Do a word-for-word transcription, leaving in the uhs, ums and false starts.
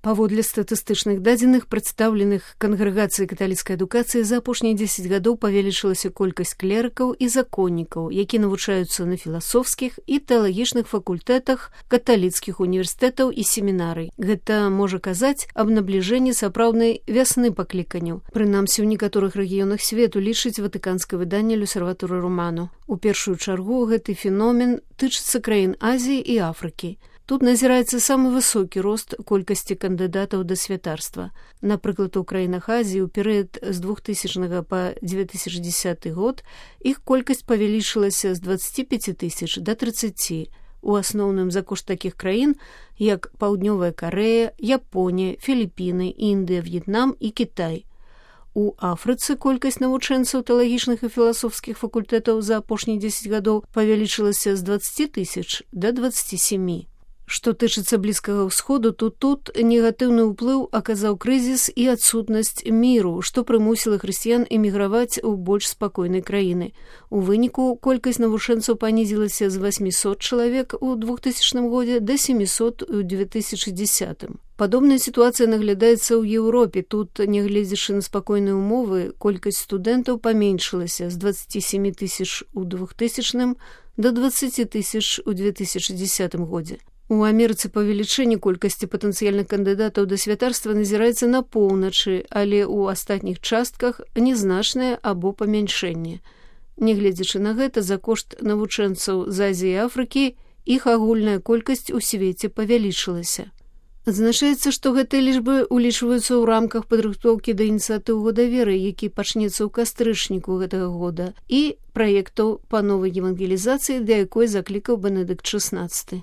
Паводле статыстычных дадзеных, прадстаўленых кангрэгацыяй каталіцкай адукацыі, за апошнія дзесяць гадоў павялічылася колькасць клерыкаў і законнікаў, які навучаюцца на філасофскіх і тэалагічных факультэтах каталіцкіх універсітэтаў і семінарый. Гэта можа казаць аб набліжэнні сапраўднай вясны пакліканняў. Прынамсі, у некаторых рэгіёнах свету, лічыць ватыканскае выданне «L'Osservatore Romano». У першую чаргу гэты феномен тычыцца краін Азіі і Афрыкі. Тут назіраецца самы высокі рост колькасці кандыдатаў да святарства. Напрыклад, у краінах Азіі ў перыяд з двухтысячнага па дзве тысячы дзесяты год іх колькасць павялічылася з дваццаці пяці тысяч да трыццаці. У асноўным за кошт такіх краін, як Паўднёвая Карэя, Японія, Філіпіны, Індыя, В'етнам і Кітай. У Афрыцы колькасць навучэнцаў тэалагічных і філасофскіх факультэтаў за апошнія дзесяць гадоў павялічылася з дваццаці тысяч да дваццаці сямі. Што тычыцца Блізкага ўсходу, то тут негатыўны ўплыў аказаў крызіс і адсутнасць міру, што прымусіла хрысціян эміграваць у больш спакойнай краіны. У выніку колькасць навучэнцаў панізілася з васьмісот чалавек у двухтысячным годзе да сямісот у дзве тысячы дзесятым. Падобная сітуацыя наглядаецца ў Еўропе. Тут, нягледзячы на спакойныя ўмовы, колькасць студэнтаў паменшылася з дваццаці сямі тысяч у двухтысячным да дваццаці тысяч у дзве тысячы дзесятым годзе. У Амерыцы павелічэнне колькасці патэнцыяльных кандыдатаў да святарства назіраецца на поўначы, але ў астатніх частках незначнае або памяншэнне. Нягледзячы на гэта, за кошт навучэнцаў з Азіі і Афрыкі іх агульная колькасць у свеце павялічылася. Адзначаецца, што гэтыя лічбы ўлічваюцца ў рамках падрыхтоўкі да ініцыятыў года веры, які пачнецца ў кастрычніку гэтага года, і праектаў па новай евангелізацыі, да якой заклікаў Бенедыкт шаснаццаты.